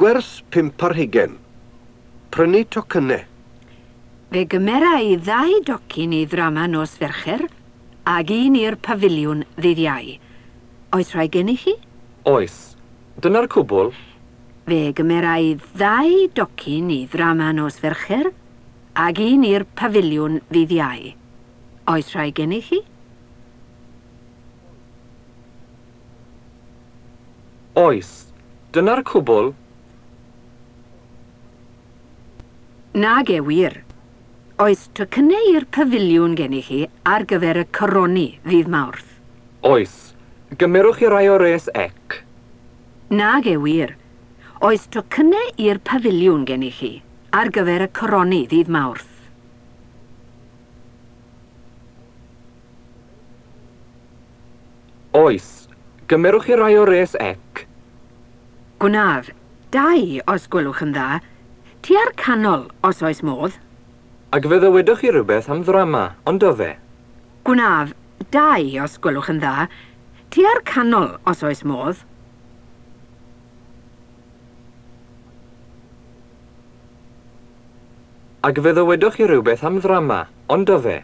Gwers 25. Prynu tocynnau. Fe gymera i ddau docyn i ddrama nos Fercher ag un i'r pafiliwn ddydd Iau. Oes rhai gennych chi? Oes. Dyna'r cwbl? Fe gymera i ddau docyn i ddrama nos Fercher ag un i'r pafiliwn ddydd Iau. Oes rhai gennych chi? Oes. Dyna'r cwbl? Nage wir. Oes tocynnau i'r pafiliwn gennych chi ar gyfer y coroni ddydd Mawrth? Oes. Gymerwch chi rai o res ec? Nage wir. Oes tocynnau i'r pafiliwn gennych chi ar gyfer y coroni ddydd Mawrth? Oes. Gymerwch chi rai o res ec? Gwnaf. Dau, os gwelwch yn dda. Tua'r canol, os oes modd. Ac fe ddywedwch chi rhywbeth am ddrama, ond do fe? Gwnaf. Dau, os gwelwch yn dda. Tua'r canol, os oes modd. Ac fe ddywedwch chi rhywbeth am ddrama, ond do fe?